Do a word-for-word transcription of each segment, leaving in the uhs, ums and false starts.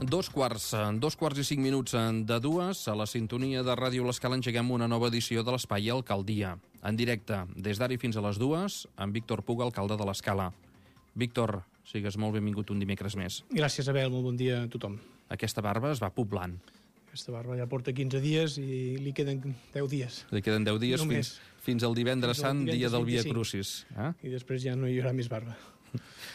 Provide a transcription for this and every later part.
Dos quarts, dos quarts i cinc minuts de dues, a la sintonia de Ràdio L'Escala engeguem una nova edició de l'Espai Alcaldia. En directe, des d'ara i fins a les dues, amb Víctor Puga, alcalde de l'Escala. Víctor, sigues molt benvingut un dimecres més. Gràcies, Abel, molt bon dia a tothom. Aquesta barba es va poblant. Aquesta barba ja porta quinze dies i li queden deu dies. Li queden deu dies fins, fins al divendres sant, dia del Via Crucis. Eh? I després ja no hi haurà més barba.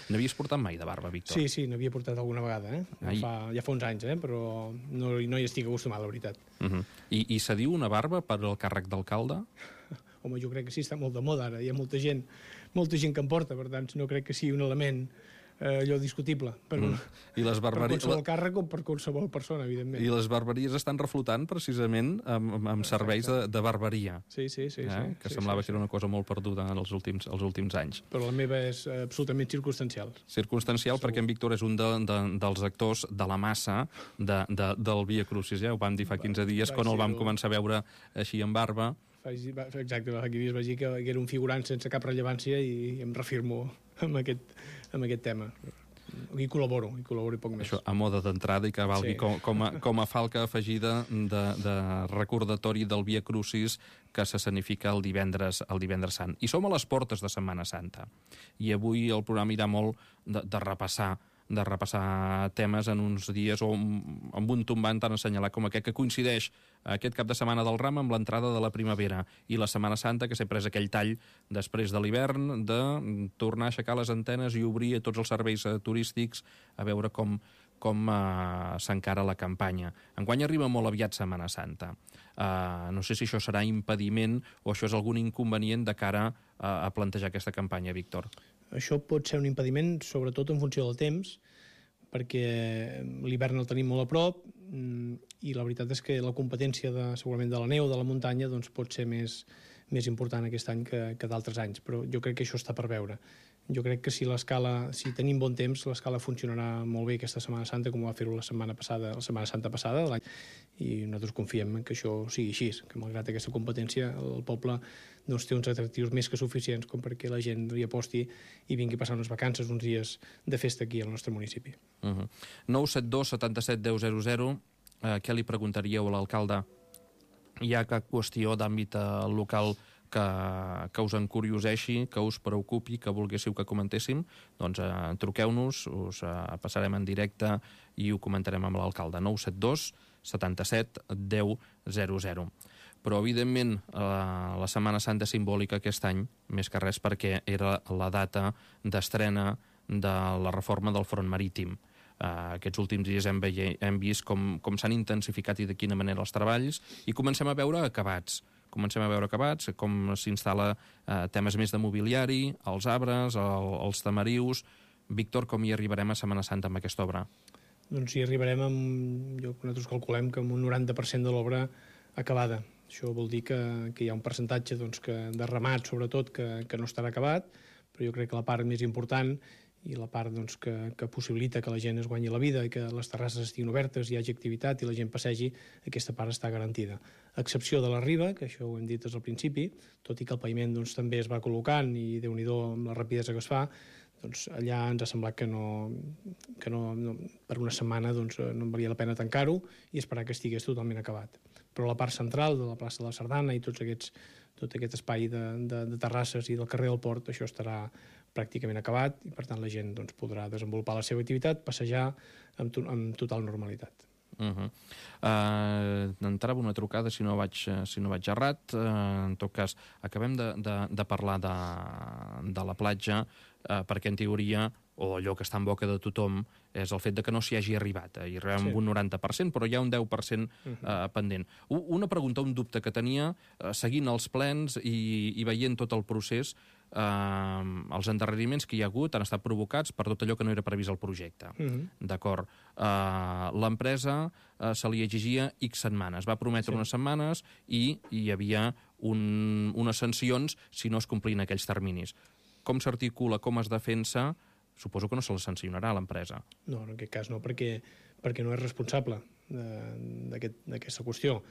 N'havies portat mai de barba, Víctor? Sí, sí, n'havia portat alguna vegada, eh? Fa, ja fa uns anys, eh? Però no, no hi estic acostumat, la veritat. Uh -huh. I, I se diu una barba per al càrrec d'alcalde? Home, jo crec que sí, està molt de moda ara. Hi ha molta gent, molta gent que en porta, per tant, no crec que sigui un element eh, allò discutible per, mm. I les barberies... per qualsevol càrrec o per qualsevol persona, evidentment. I les barberies estan reflotant precisament amb, amb serveis de, de barberia. Sí, sí, sí. Eh? sí que sí, semblava sí, que era una cosa molt perduda en els últims, els últims anys. Però la meva és absolutament circumstancial. Circumstancial Segur. Perquè en Víctor és un de, de, dels actors de la massa de, de, del Via Crucis. Ja ho vam dir fa quinze dies, va, quan el vam el... començar a veure així amb barba. Exacte, fa quinze dies vaig dir que, que era un figurant sense cap rellevància i em refirmo amb aquest, amb aquest tema. Hi col·laboro, hi col·laboro i poc més. Això a moda d'entrada i que valgui sí. com, com, a, com a falca afegida de, de recordatori del Via Crucis que s'escenifica el divendres, el divendres sant. I som a les portes de Setmana Santa. I avui el programa irà molt de, de repassar de repassar temes en uns dies o amb un tombant tan assenyalat com aquest, que coincideix aquest cap de setmana del Ram amb l'entrada de la primavera i la Setmana Santa, que sempre és aquell tall després de l'hivern de tornar a aixecar les antenes i obrir tots els serveis turístics a veure com, com uh, s'encara la campanya. Enguany arriba molt aviat Setmana Santa. Uh, no sé si això serà impediment o això és algun inconvenient de cara uh, a plantejar aquesta campanya, Víctor. Això pot ser un impediment, sobretot en funció del temps, perquè l'hivern el tenim molt a prop i la veritat és que la competència de, segurament de la neu, de la muntanya, doncs pot ser més, més important aquest any que, que d'altres anys, però jo crec que això està per veure. Jo crec que si l'escala, si tenim bon temps, l'escala funcionarà molt bé aquesta Setmana Santa, com va fer-ho la setmana passada, la Setmana Santa passada de l'any, i nosaltres confiem que això sigui així, que malgrat aquesta competència el poble doncs, té uns atractius més que suficients com perquè la gent hi aposti i vingui a passar unes vacances, uns dies de festa aquí al nostre municipi. Uh-huh. nou set dos setanta set deu zero zero, eh, què li preguntaríeu a l'alcalde? Hi ha cap qüestió d'àmbit local que, que us encurioseixi, que us preocupi, que volguéssiu que comentéssim? Doncs eh, truqueu-nos, us eh, passarem en directe i ho comentarem amb l'alcalde. nou set dos setanta set deu zero zero. Però, evidentment, eh, la Setmana Santa simbòlica aquest any, més que res perquè era la data d'estrena de la reforma del front marítim. Uh, aquests últims dies hem, veie, hem vist com, com s'han intensificat i de quina manera els treballs i comencem a veure acabats. Comencem a veure acabats, com s'instal·la uh, temes més de mobiliari, els arbres, el, els tamarius. Víctor, com hi arribarem a Setmana Santa amb aquesta obra? Doncs hi arribarem amb, jo, nosaltres calculem que amb un noranta per cent de l'obra acabada. Això vol dir que, que hi ha un percentatge doncs, que, de ramat, sobretot, que, que no estarà acabat, però jo crec que la part més important i la part doncs, que, que possibilita que la gent es guanyi la vida i que les terrasses estiguin obertes, hi hagi activitat i la gent passegi, aquesta part està garantida. A excepció de la riba, que això ho hem dit des del principi, tot i que el paviment doncs, també es va col·locant i Déu-n'hi-do amb la rapidesa que es fa, doncs allà ens ha semblat que no, que no, no per una setmana doncs, no valia la pena tancar-ho i esperar que estigués totalment acabat. Però la part central de la plaça de la Sardana i tots aquests, tot aquest espai de, de, de terrasses i del carrer del Port, això estarà pràcticament acabat i per tant la gent doncs, podrà desenvolupar la seva activitat, passejar amb, to amb total normalitat. Uh -huh. uh, entrava una trucada si no vaig, si no vaig errat. Uh, en tot cas, acabem de, de, de parlar de, de la platja uh, perquè en teoria o allò que està en boca de tothom és el fet de que no s'hi hagi arribat. Hi arribem sí. amb un noranta per cent, però hi ha un deu per cent uh, uh, pendent. Una pregunta, un dubte que tenia, uh, seguint els plens i, i veient tot el procés, Uh, els endarreriments que hi ha hagut han estat provocats per tot allò que no era previst al projecte. Uh-huh. D'acord. Uh, l'empresa uh, se li exigia X setmanes. Va prometre sí. unes setmanes i hi havia un, unes sancions si no es complien aquells terminis. Com s'articula, com es defensa? Suposo que no se la sancionarà a l'empresa. No, en aquest cas no, perquè, perquè no és responsable d'aquesta aquest, qüestió.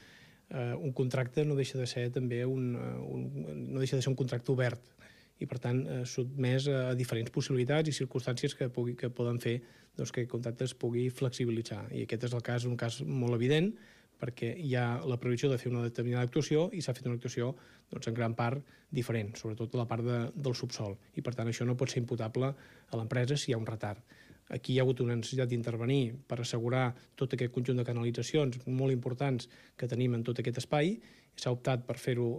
Uh, un contracte no deixa de ser també un, un, no deixa de ser un contracte obert i, per tant, eh, sotmès a diferents possibilitats i circumstàncies que, pugui, que poden fer doncs, que el contracte es pugui flexibilitzar. I aquest és el cas, un cas molt evident, perquè hi ha la previsió de fer una determinada actuació i s'ha fet una actuació doncs, en gran part diferent, sobretot a la part de, del subsol. I, per tant, això no pot ser imputable a l'empresa si hi ha un retard. Aquí hi ha hagut una necessitat d'intervenir per assegurar tot aquest conjunt de canalitzacions molt importants que tenim en tot aquest espai. S'ha optat per fer-ho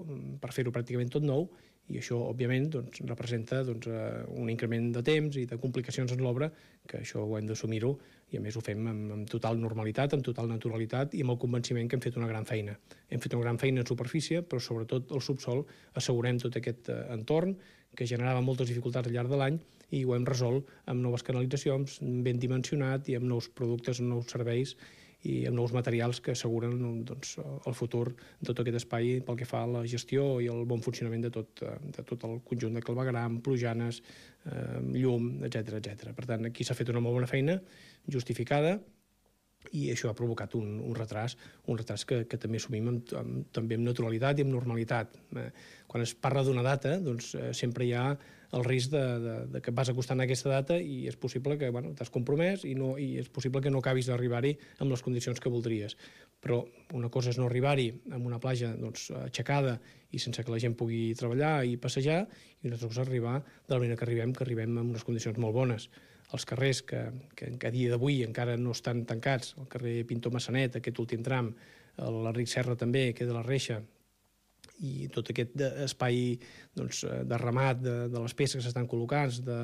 per fer-ho pràcticament tot nou i això, òbviament, doncs, representa doncs, un increment de temps i de complicacions en l'obra, que això ho hem d'assumir-ho i, a més, ho fem amb, amb total normalitat, amb total naturalitat i amb el convenciment que hem fet una gran feina. Hem fet una gran feina en superfície, però sobretot al subsol assegurem tot aquest eh, entorn que generava moltes dificultats al llarg de l'any i ho hem resolt amb noves canalitzacions, ben dimensionat i amb nous productes, amb nous serveis i amb nous materials que asseguren doncs, el futur de tot aquest espai pel que fa a la gestió i el bon funcionament de tot, de tot el conjunt de clavegueram, plujanes, eh, llum, etcètera etcètera. Per tant, aquí s'ha fet una molt bona feina, justificada, i això ha provocat un, un retras, un retras que, que també assumim amb, amb, també amb naturalitat i amb normalitat. Eh, quan es parla d'una data, doncs eh, sempre hi ha el risc de, de, de que vas acostant a aquesta data i és possible que bueno, t'has compromès i, no, i és possible que no acabis d'arribar-hi amb les condicions que voldries. Però una cosa és no arribar-hi amb una platja doncs, aixecada i sense que la gent pugui treballar i passejar, i una altra cosa és arribar de la manera que arribem, que arribem en unes condicions molt bones. Els carrers que, que, que a dia d'avui encara no estan tancats, el carrer Pintor Massanet, aquest últim tram, l'Enric Serra també, que és de la Reixa, i tot aquest espai doncs, de ramat de, de les peces que s'estan col·locant, de,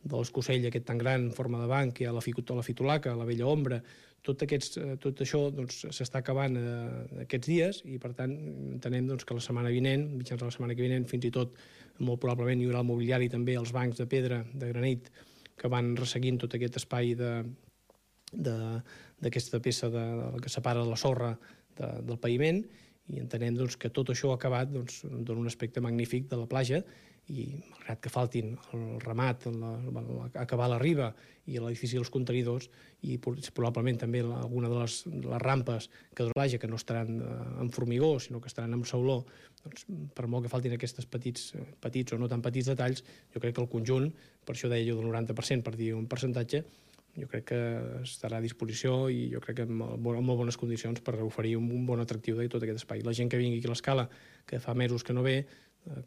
de l'escosell aquest tan gran en forma de banc, que hi ha la, la fitolaca, la vella ombra, tot, aquests, tot això doncs, s'està acabant eh, aquests dies i, per tant, entenem doncs, que la setmana vinent, mitjans de la setmana que vinent, fins i tot molt probablement hi haurà el mobiliari també, els bancs de pedra, de granit, que van resseguint tot aquest espai d'aquesta peça de, de, que separa la sorra de, del paviment, i entenem doncs, que tot això acabat doncs, dona un aspecte magnífic de la platja i, malgrat que faltin el ramat, la, la, acabar la riba i l'edifici dels contenidors i probablement també alguna de les, de les rampes que de la platja que no estaran en formigó, sinó que estaran en sauló, doncs, per molt que faltin aquests petits, petits o no tan petits detalls, jo crec que el conjunt, per això deia jo del noranta per cent, per dir un percentatge, jo crec que estarà a disposició i jo crec que en molt bones condicions per oferir un bon atractiu de tot aquest espai. La gent que vingui aquí a l'Escala, que fa mesos que no ve,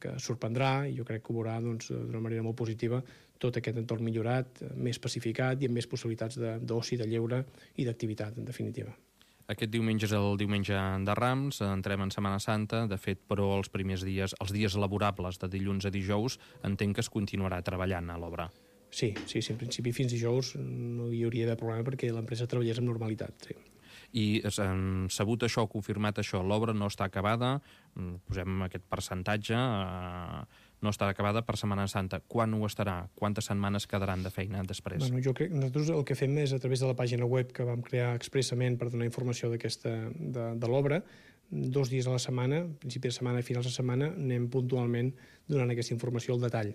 que sorprendrà i jo crec que ho veurà doncs, d'una manera molt positiva tot aquest entorn millorat, més pacificat i amb més possibilitats d'oci, de lleure i d'activitat, en definitiva. Aquest diumenge és el diumenge de Rams, entrem en Setmana Santa, de fet, però els primers dies, els dies laborables de dilluns a dijous, entenc que es continuarà treballant a l'obra. Sí, sí, sí, en principi fins dijous no hi hauria d'haver problema perquè l'empresa treballés amb normalitat, sí. I sabut això, confirmat això, l'obra no està acabada, posem aquest percentatge, no estarà acabada per Setmana Santa. Quan ho estarà? Quantes setmanes quedaran de feina després? Bueno, jo crec que nosaltres el que fem és a través de la pàgina web que vam crear expressament per donar informació d'aquesta de, de l'obra, dos dies a la setmana, principi de setmana i finals de setmana, anem puntualment donant aquesta informació al detall.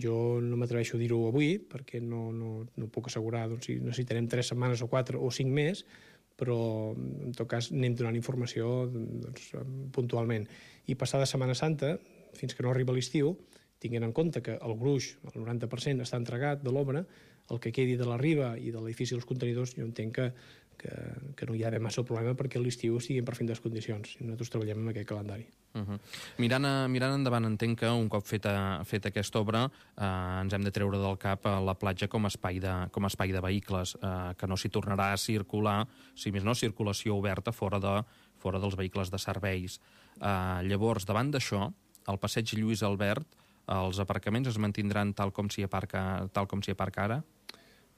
Jo no m'atreveixo a dir-ho avui, perquè no, no, no puc assegurar doncs, si necessitarem tres setmanes o quatre o cinc més, però en tot cas anem donant informació doncs, puntualment. I passada Setmana Santa, fins que no arriba l'estiu, tinguent en compte que el gruix, el noranta per cent, està entregat de l'obra, el que quedi de la riba i de l'edifici dels contenidors, jo entenc que, que, que no hi ha d'haver massa problema perquè l'estiu estigui en perfectes condicions. I nosaltres treballem amb aquest calendari. Uh -huh. mirant, a, mirant endavant, entenc que un cop feta, feta aquesta obra eh, ens hem de treure del cap a la platja com a espai de, com a espai de vehicles, eh, que no s'hi tornarà a circular, si més no, circulació oberta fora, de, fora dels vehicles de serveis. Eh, llavors, davant d'això, al passeig Lluís Albert, els aparcaments es mantindran tal com s'hi aparca, tal com s'hi aparca ara?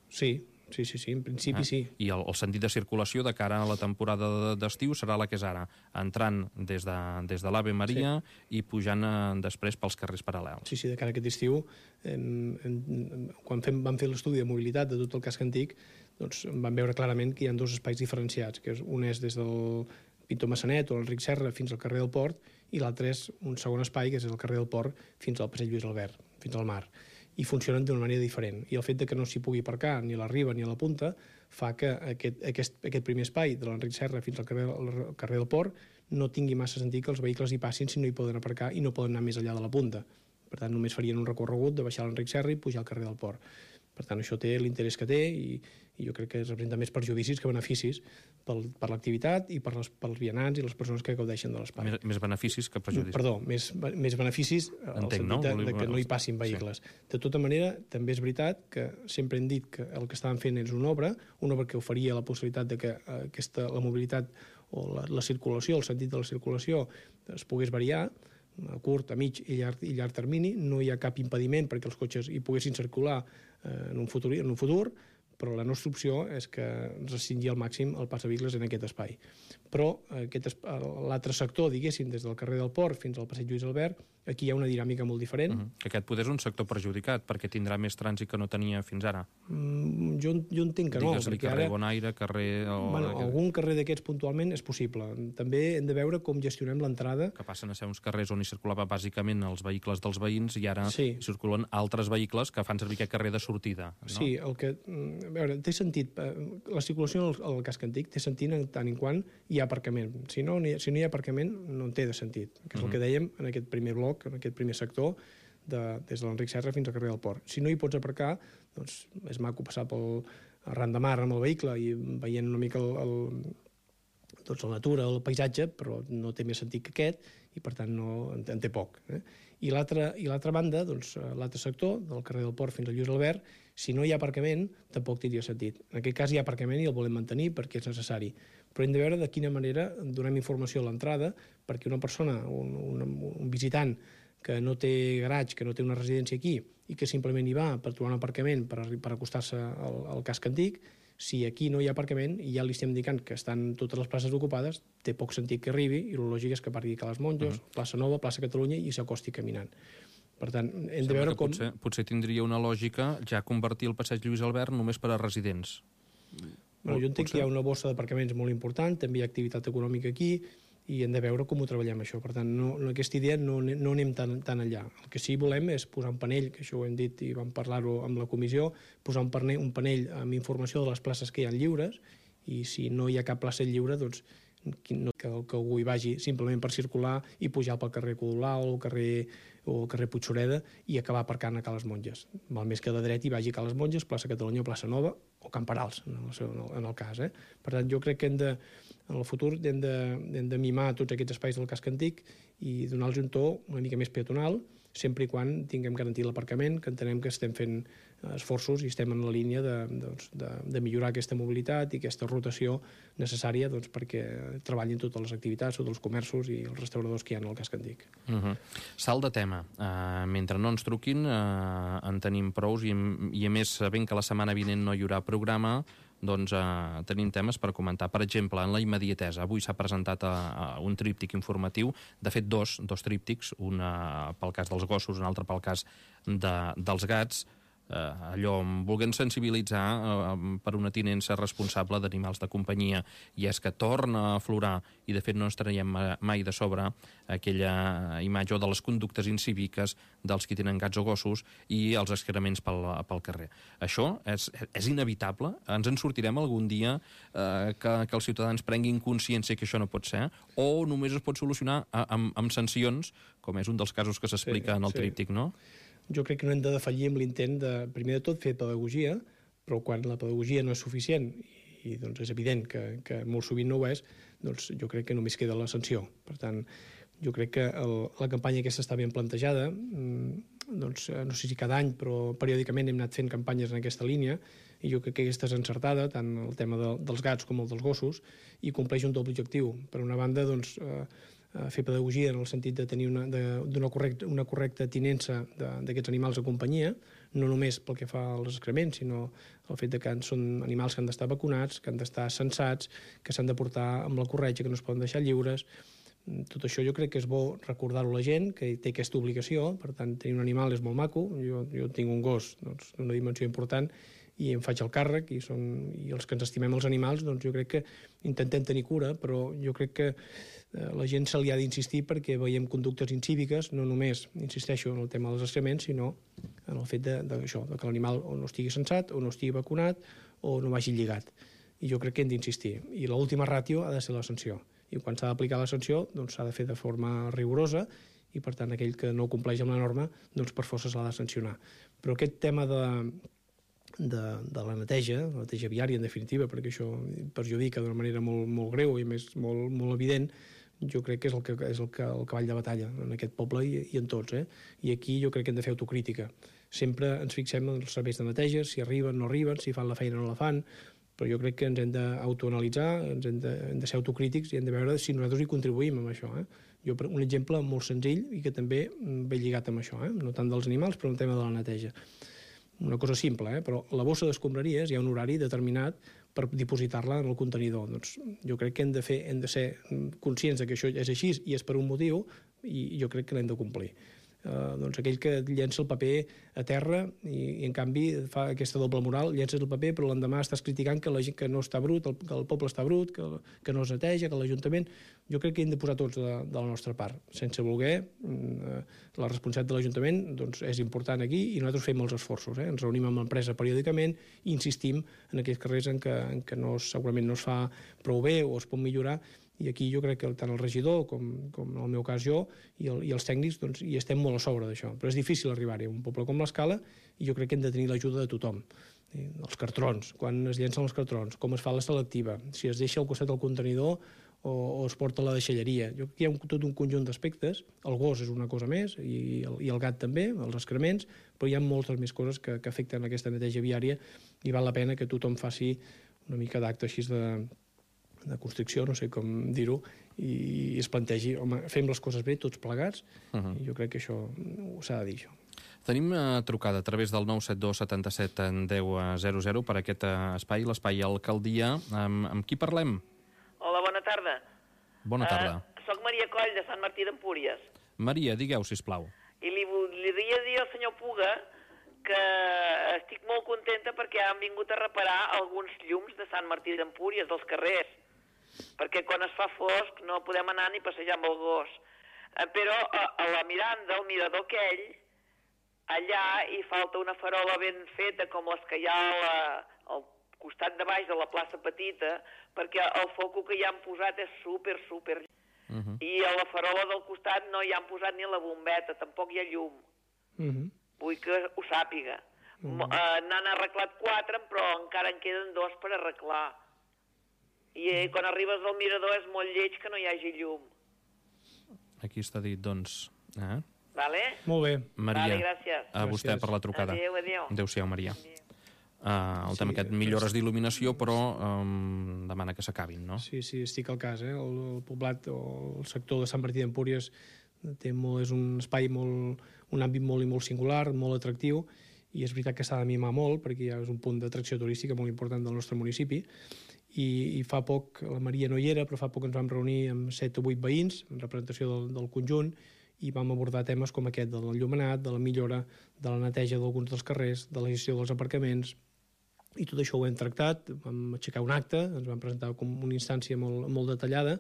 Sí, sí, sí, sí, en principi eh? sí. I el, el sentit de circulació de cara a la temporada d'estiu serà la que és ara, entrant des de, des de l'Ave Maria sí. i pujant eh, després pels carrers paral·lels. Sí, sí, de cara a aquest estiu, eh, eh, quan fem, vam fer l'estudi de mobilitat de tot el casc antic, doncs vam veure clarament que hi ha dos espais diferenciats, que és, un és des del Pintor Massanet o l'Enric Serra fins al carrer del Port, i l'altre és un segon espai, que és el carrer del Port fins al passeig Lluís Albert, fins al mar. I funcionen d'una manera diferent. I el fet de que no s'hi pugui aparcar ni a la riba ni a la punta fa que aquest, aquest, aquest primer espai de l'Enric Serra fins al carrer, al carrer del Port no tingui massa sentit que els vehicles hi passin si no hi poden aparcar i no poden anar més enllà de la punta. Per tant, només farien un recorregut de baixar l'Enric Serra i pujar al carrer del Port. Per tant, això té l'interès que té i, i jo crec que representa més perjudicis que beneficis pel, per l'activitat i per les, pels vianants i les persones que gaudeixen de l'espai. Més, més beneficis que perjudicis. Perdó, més, més beneficis al Entenc, sentit no? de, de que no hi passin vehicles. Sí. De tota manera, també és veritat que sempre hem dit que el que estaven fent és una obra, una obra que oferia la possibilitat de que aquesta, la mobilitat o la, la circulació, el sentit de la circulació es pogués variar a curt, a mig i llarg, i llarg termini. No hi ha cap impediment perquè els cotxes hi poguessin circular eh, en, un futur, en un futur, però la nostra opció és que restringir al màxim el pas de vehicles en aquest espai. Però aquest, l'altre sector, diguéssim, des del carrer del Port fins al passeig Lluís Albert, aquí hi ha una dinàmica molt diferent. Uh -huh. Que aquest poder és un sector perjudicat, perquè tindrà més trànsit que no tenia fins ara. Mm, jo, jo entenc que no. Digues-li carrer ara, Bonaire, carrer... O... Bueno, algun carrer d'aquests puntualment és possible. També hem de veure com gestionem l'entrada. Que passen a ser uns carrers on hi circulava bàsicament els vehicles dels veïns i ara sí. circulen altres vehicles que fan servir aquest carrer de sortida. No? Sí, el que... A veure, té sentit. La circulació al, al casc antic té sentit en tant en quant hi ha aparcament. Si no, si no hi ha aparcament, no en té de sentit. Que és uh -huh. el que dèiem en aquest primer bloc, en aquest primer sector, de, des de l'Enric Serra fins al carrer del Port. Si no hi pots aparcar, doncs és maco passar pel arran de mar amb el vehicle i veient una mica el, el, doncs la natura, el paisatge, però no té més sentit que aquest i, per tant, no, en, en té poc. Eh? I l'altra banda, doncs, l'altre sector, del carrer del Port fins al Lluís Albert, si no hi ha aparcament, tampoc tindria sentit. En aquest cas hi ha aparcament i el volem mantenir perquè és necessari. Però hem de veure de quina manera donem informació a l'entrada perquè una persona, un, un, un visitant que no té garatge, que no té una residència aquí i que simplement hi va per trobar un aparcament per, per acostar-se al, al casc antic, si aquí no hi ha aparcament i ja li estem indicant que estan totes les places ocupades, té poc sentit que arribi i el lògic és que parti a les Monjos, uh -huh. plaça Nova, plaça Catalunya i s'acosti caminant. Per tant, hem Sembla de veure com... Potser, potser tindria una lògica ja convertir el passeig Lluís Albert només per a residents. Bueno, jo entenc potser? Que hi ha una bossa d'aparcaments molt important, també hi ha activitat econòmica aquí, i hem de veure com ho treballem això. Per tant, no, no, aquesta idea no, no anem tan, tan enllà. El que sí volem és posar un panell, que això ho hem dit i vam parlar-ho amb la comissió, posar un panell, un panell amb informació de les places que hi ha lliures, i si no hi ha cap plaça lliure, doncs que, que algú hi vagi simplement per circular i pujar pel carrer Codolar o el carrer, o el carrer Puigsureda i acabar aparcant a Cales Monges. Val més que de dret hi vagi a Cales Monges, plaça Catalunya o plaça Nova, o Camperals, en el, seu, en el cas. Eh? Per tant, jo crec que hem de, en el futur hem de, hem de mimar tots aquests espais del casc antic i donar-los un to una mica més peatonal, sempre i quan tinguem garantit l'aparcament, que entenem que estem fent esforços i estem en la línia de, doncs, de, de millorar aquesta mobilitat i aquesta rotació necessària doncs, perquè treballin totes les activitats, tots els comerços i els restauradors que hi ha al casc antic. Uh -huh. Salt de tema. Uh, mentre no ens truquin, uh, en tenim prous i, i a més, sabent que la setmana vinent no hi haurà programa, doncs eh, tenim temes per comentar. Per exemple, en la immediatesa, avui s'ha presentat a, a un tríptic informatiu, de fet dos, dos tríptics, un eh, pel cas dels gossos, un altre pel cas de, dels gats, eh, allò, volguem sensibilitzar eh, per una tinença responsable d'animals de companyia, i és que torna a aflorar, i de fet no ens traiem mai de sobre, aquella imatge de les conductes incíviques dels qui tenen gats o gossos i els excrements pel, pel carrer. Això és, és inevitable? Ens en sortirem algun dia eh, que, que els ciutadans prenguin consciència que això no pot ser? O només es pot solucionar amb, amb sancions, com és un dels casos que s'explica sí, en el sí. tríptic, no? Jo crec que no hem de defallir amb l'intent de, primer de tot, fer pedagogia, però quan la pedagogia no és suficient, i, i doncs és evident que, que molt sovint no ho és, doncs jo crec que només queda la sanció. Per tant, jo crec que el, la campanya aquesta està ben plantejada, doncs no sé si cada any, però periòdicament hem anat fent campanyes en aquesta línia, i jo crec que aquesta és encertada, tant el tema de, dels gats com el dels gossos, i compleix un doble objectiu. Per una banda, doncs, eh, fer pedagogia en el sentit de tenir una, de, una, correcta, una correcta tinença d'aquests animals de companyia, no només pel que fa als excrements, sinó el fet de que són animals que han d'estar vacunats, que han d'estar censats, que s'han de portar amb la corretja, que no es poden deixar lliures. Tot això jo crec que és bo recordar-ho a la gent, que té aquesta obligació. Per tant, tenir un animal és molt maco. Jo, jo tinc un gos doncs, d'una dimensió important i em faig el càrrec, i, són, i els que ens estimem els animals, doncs jo crec que intentem tenir cura, però jo crec que eh, la gent se li ha d'insistir perquè veiem conductes incíviques, no només, insisteixo, en el tema dels excrements, sinó en el fet de, de, això, de que l'animal o no estigui censat, o no estigui vacunat, o no vagi lligat. I jo crec que hem d'insistir. I l'última ràtio ha de ser la sanció. I quan s'ha d'aplicar la sanció, doncs s'ha de fer de forma rigorosa, i per tant aquell que no compleix amb la norma doncs per força s'ha de sancionar. Però aquest tema de, de, de la neteja, la neteja viària en definitiva, perquè això perjudica d'una manera molt, molt greu i més molt, molt evident, jo crec que és el, que, és el, que, el cavall de batalla en aquest poble i, i en tots. Eh? I aquí jo crec que hem de fer autocrítica. Sempre ens fixem en els serveis de neteja, si arriben, no arriben, si fan la feina o no la fan, però jo crec que ens hem d'autoanalitzar, ens hem de, hem de ser autocrítics i hem de veure si nosaltres hi contribuïm amb això. Eh? Jo, un exemple molt senzill i que també ve lligat amb això, eh? No tant dels animals, però el tema de la neteja. Una cosa simple, eh? Però la bossa d'escombraries hi ha un horari determinat per dipositar-la en el contenidor. Doncs jo crec que hem de, fer, hem de ser conscients que això és així i és per un motiu i jo crec que l'hem de complir. Uh, doncs aquell que llença el paper a terra i, i en canvi fa aquesta doble moral, llences el paper però l'endemà estàs criticant que la gent que no està brut, el, que el poble està brut, que, que no es neteja, que l'Ajuntament... Jo crec que hem de posar tots de, de la nostra part, sense voler. Uh, la responsabilitat de l'Ajuntament doncs, és important aquí i nosaltres fem els esforços. Eh? Ens reunim amb l'empresa periòdicament i insistim en aquells carrers en què, en què no, segurament no es fa prou bé o es pot millorar. I aquí jo crec que tant el regidor com, com en el meu cas jo i, el, i els tècnics doncs, hi estem molt a sobre d'això. Però és difícil arribar-hi a un poble com l'Escala i jo crec que hem de tenir l'ajuda de tothom. I els cartrons, quan es llencen els cartrons, com es fa la selectiva, si es deixa al costat del contenidor o, o es porta a la deixalleria. Jo crec que hi ha un, tot un conjunt d'aspectes. El gos és una cosa més i el, i el gat també, els excrements, però hi ha moltes més coses que, que afecten aquesta neteja viària i val la pena que tothom faci una mica d'acte així de de construcció, no sé com dir-ho, i es plantegi, home, fem les coses bé, tots plegats, uh-huh. I jo crec que això s'ha de dir, això. Tenim uh, trucada a través del nou set dos setanta-set deu zero zero per aquest uh, espai, l'espai Alcaldia. Um, amb qui parlem? Hola, bona tarda. Bona tarda. Uh, soc Maria Coll, de Sant Martí d'Empúries. Maria, digueu, sisplau. I li voldria dir al senyor Puga que estic molt contenta perquè han vingut a reparar alguns llums de Sant Martí d'Empúries, dels carrers, perquè quan es fa fosc no podem anar ni passejar amb el gos. Eh, però a, a la Miranda, al mirador aquell, allà hi falta una farola ben feta com les que hi ha a la, al costat de baix de la plaça Petita, perquè el foco que hi han posat és super, super... Uh-huh. I a la farola del costat no hi han posat ni la bombeta, tampoc hi ha llum. Uh-huh. Vull que ho sàpiga. Uh-huh. Uh, n'han arreglat quatre, però encara en queden dos per arreglar. I eh, quan arribes al mirador és molt lleig que no hi hagi llum. Aquí està dit, doncs. Eh? Vale? Molt bé. Maria, vale, gràcies. a vostè Gràcies. per la trucada. Adéu, adéu. Adéu-siau, Maria. Adéu. Uh, el sí, tema aquest, millores d'il·luminació, però um, demana que s'acabin, no? Sí, sí, estic al cas. Eh? El, el poblat o el sector de Sant Martí d'Empúries té molt, és un espai, molt, un àmbit molt i molt singular, molt atractiu, i és veritat que s'ha de mimar molt, perquè ja és un punt d'atracció turística molt important del nostre municipi, i, i fa poc, la Maria no hi era, però fa poc ens vam reunir amb set o vuit veïns, en representació del, del conjunt, i vam abordar temes com aquest, de l'enllumenat, de la millora, de la neteja d'alguns dels carrers, de la gestió dels aparcaments, i tot això ho hem tractat, vam aixecar un acte, ens vam presentar com una instància molt, molt detallada,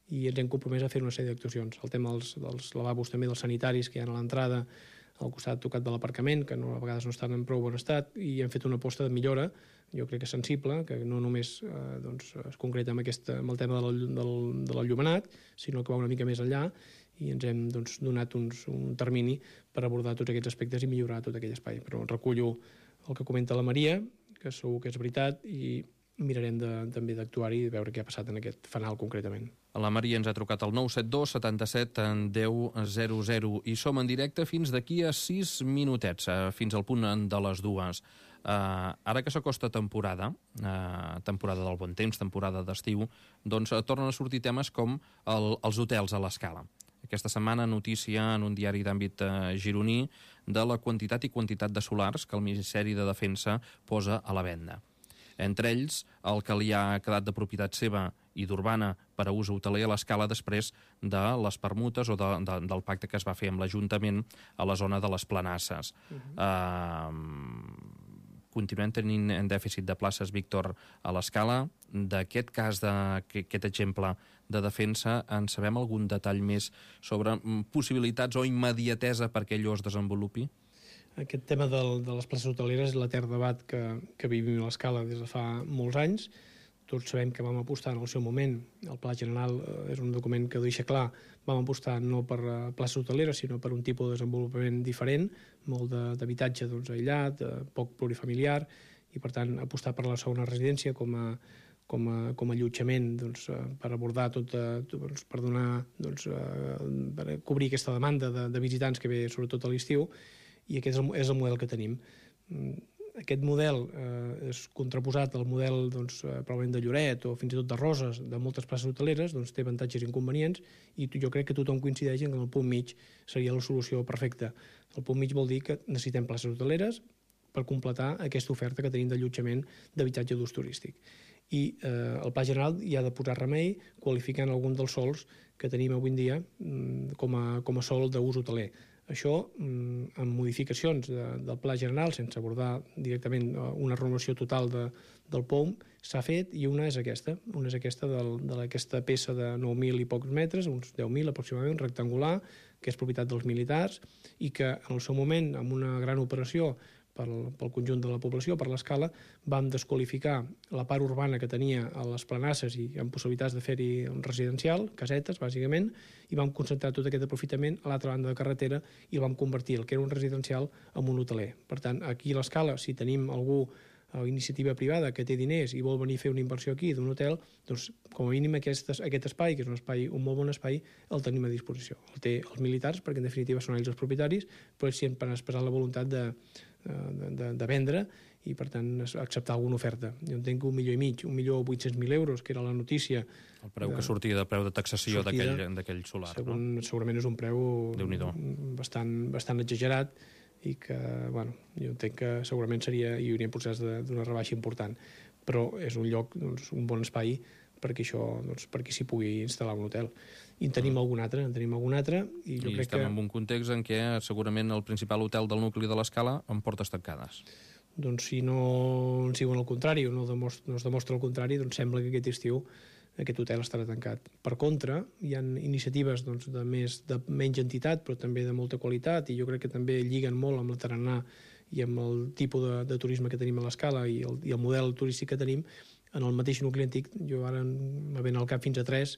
i ens hem compromès a fer una sèrie d'actuacions. El tema dels, dels lavabos també, dels sanitaris que hi ha a l'entrada, al costat tocat de l'aparcament, que no, a vegades no estan en prou bon estat, i hem fet una aposta de millora, jo crec que sensible, que no només eh, doncs, es concreta amb, aquesta, amb el tema del, del, de l'enllumenat, sinó que va una mica més enllà, i ens hem doncs, donat uns, un termini per abordar tots aquests aspectes i millorar tot aquell espai. Però recullo el que comenta la Maria, que segur que és veritat, i mirarem de, també d'actuar-hi i veure què ha passat en aquest fanal concretament. La Maria ens ha trucat al nou set dos setanta-set deu zero zero i som en directe fins d'aquí a sis minutets, fins al punt de les dues. Uh, ara que s'acosta temporada, uh, temporada del bon temps, temporada d'estiu, doncs uh, tornen a sortir temes com el, els hotels a l'Escala. Aquesta setmana notícia en un diari d'àmbit uh, gironí de la quantitat i quantitat de solars que el Ministeri de Defensa posa a la venda. Entre ells, el que li ha quedat de propietat seva i d'urbana per a ús hoteler a l'Escala després de les permutes o de, de, del pacte que es va fer amb l'Ajuntament a la zona de les Planasses. Uh-huh. Uh, continuem tenint en dèficit de places, Víctor, a l'Escala. D'aquest cas, d'aquest exemple de defensa, en sabem algun detall més sobre possibilitats o immediatesa perquè allò es desenvolupi? Aquest tema del, de les places hoteleres és l'etern debat que, que vivim a l'Escala des de fa molts anys. tots sabem que vam apostar en el seu moment, el Pla General eh, és un document que ho deixa clar, vam apostar no per uh, places hoteleres, sinó per un tipus de desenvolupament diferent, molt d'habitatge doncs, aïllat, eh, poc plurifamiliar, i per tant apostar per la segona residència com a, com a, com a allotjament doncs, eh, per abordar tot, eh, doncs, per donar, doncs, eh, per cobrir aquesta demanda de, de visitants que ve sobretot a l'estiu, i aquest és el, és el model que tenim. Aquest model eh, és contraposat al model doncs, eh, probablement de Lloret o fins i tot de Roses, de moltes places hoteleres, doncs té avantatges i inconvenients, i jo crec que tothom coincideix en que el punt mig seria la solució perfecta. El punt mig vol dir que necessitem places hoteleres per completar aquesta oferta que tenim d'allotjament d'habitatge d'ús turístic. I eh, el Pla General hi ha de posar remei qualificant algun dels sols que tenim avui en dia com a, com a sol d'ús hoteler. Això, amb modificacions de, del Pla General, sense abordar directament una renovació total de, del P O M, s'ha fet, i una és aquesta, una és aquesta d'aquesta peça de nou mil i pocs metres, uns deu mil aproximadament, rectangular, que és propietat dels militars, i que en el seu moment, amb una gran operació pel, pel conjunt de la població, per l'escala, vam desqualificar la part urbana que tenia a les planasses i amb possibilitats de fer-hi un residencial, casetes, bàsicament, i vam concentrar tot aquest aprofitament a l'altra banda de carretera i el vam convertir el que era un residencial en un hoteler. Per tant, aquí a l'escala, si tenim algú a iniciativa privada que té diners i vol venir a fer una inversió aquí d'un hotel, doncs com a mínim aquest, aquest espai, que és un espai, un molt bon espai, el tenim a disposició. El té els militars, perquè en definitiva són ells els propietaris, però ells sempre han expressat la voluntat de, de, de, de vendre i per tant acceptar alguna oferta. Jo entenc que un milió i mig, un milió vuit-cents mil euros, que era la notícia. El preu de, que sortia de preu de taxació d'aquell solar. Segon, no? Segurament és un preu bastant, bastant exagerat, i que, bueno, jo entenc que segurament seria, hi hauria un procés d'una rebaixa important, però és un lloc, doncs, un bon espai perquè això, doncs, perquè s'hi pugui instal·lar un hotel. I en tenim mm. algun altre, en tenim algun altre, i jo I crec estem que... en un context en què segurament el principal hotel del nucli de l'Escala amb portes tancades. Doncs si no ens diuen el contrari o no, demostra, no es demostra el contrari, doncs sembla que aquest estiu aquest hotel estarà tancat. Per contra, hi ha iniciatives doncs, de, més, de menys entitat, però també de molta qualitat, i jo crec que també lliguen molt amb la tarannà i amb el tipus de, de turisme que tenim a l'Escala i, el, i el model turístic que tenim. En el mateix nucli antic, jo ara me ven al cap fins a tres,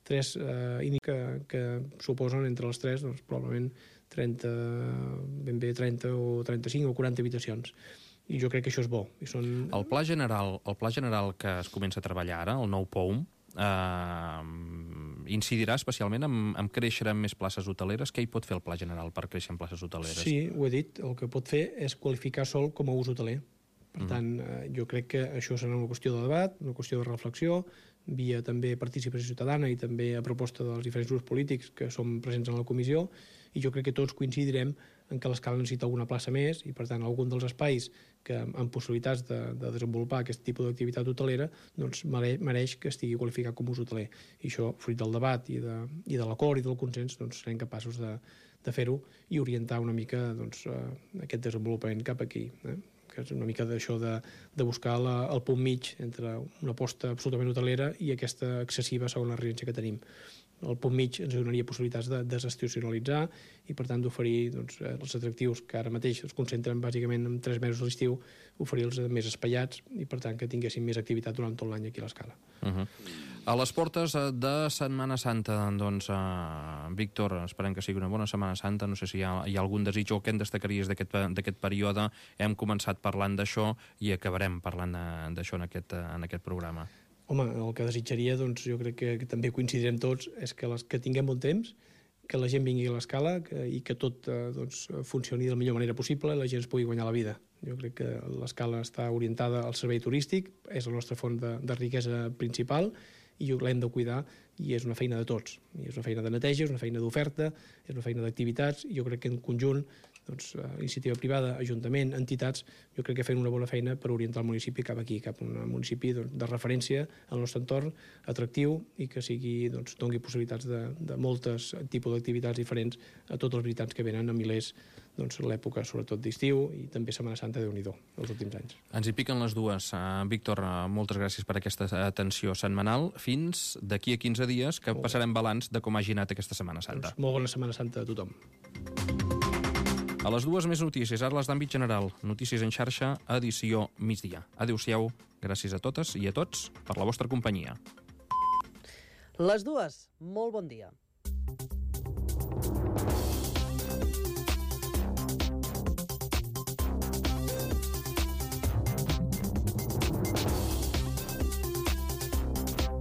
tres eh, que, que suposen entre les tres, doncs, probablement trenta, ben bé trenta o trenta-cinc o quaranta habitacions. I jo crec que això és bo. I són... El pla general, el pla general que es comença a treballar ara, el nou P O M, Uh, incidirà especialment en, en créixer en més places hoteleres. Què hi pot fer el Pla General per créixer en places hoteleres? Sí, ho he dit, el que pot fer és qualificar sol com a ús hoteler. Per tant, uh, jo crec que això serà una qüestió de debat, una qüestió de reflexió, via també participació ciutadana i també a proposta dels diferents grups polítics que som presents en la comissió, i jo crec que tots coincidirem en que l'Escala necessita alguna plaça més i, per tant, algun dels espais que amb possibilitats de, de desenvolupar aquest tipus d'activitat hotelera doncs mereix que estigui qualificat com a ús hoteler. I això, fruit del debat i de, i de l'acord i del consens, doncs serem capaços de, de fer-ho i orientar una mica doncs, aquest desenvolupament cap aquí, eh? Que és una mica d'això de, de buscar la, el punt mig entre una aposta absolutament hotelera i aquesta excessiva segona residència que tenim. El punt mig ens donaria possibilitats de desestacionalitzar i, per tant, d'oferir doncs, els atractius que ara mateix es concentren bàsicament en tres mesos a l'estiu, oferir-los més espaiats i, per tant, que tinguessin més activitat durant tot l'any aquí a l'Escala. Uh -huh. A les portes de Setmana Santa, doncs, uh, Víctor, esperem que sigui una bona Setmana Santa. No sé si hi ha, hi ha algun desig o què en destacaries d'aquest període. Hem començat parlant d'això i acabarem parlant d'això en, aquest, en aquest programa. Home, el que desitjaria, doncs, jo crec que, que també coincidirem tots, és que, les, que tinguem bon temps, que la gent vingui a l'Escala i que tot eh, doncs, funcioni de la millor manera possible i la gent es pugui guanyar la vida. Jo crec que l'Escala està orientada al servei turístic, és la nostra font de, de riquesa principal i l'hem de cuidar i és una feina de tots. I és una feina de neteja, és una feina d'oferta, és una feina d'activitats i jo crec que en conjunt doncs, iniciativa privada, ajuntament, entitats, jo crec que fem una bona feina per orientar el municipi cap aquí, cap a un municipi doncs, de referència al nostre entorn, atractiu i que sigui, doncs, doni possibilitats de, de moltes tipus d'activitats diferents a tots els visitants que venen a milers doncs, l'època, sobretot d'estiu i també Setmana Santa, Déu-n'hi-do, els últims anys. Ens hi piquen les dues. Uh, Víctor, uh, moltes gràcies per aquesta atenció setmanal. Fins d'aquí a quinze dies que passarem balanç de com hagi anat aquesta Setmana Santa. Doncs molt bona Setmana Santa a tothom. A les dues més notícies, ara les d'àmbit general. Notícies en xarxa, edició migdia. Adéu-siau, gràcies a totes i a tots per la vostra companyia. Les dues, molt bon dia.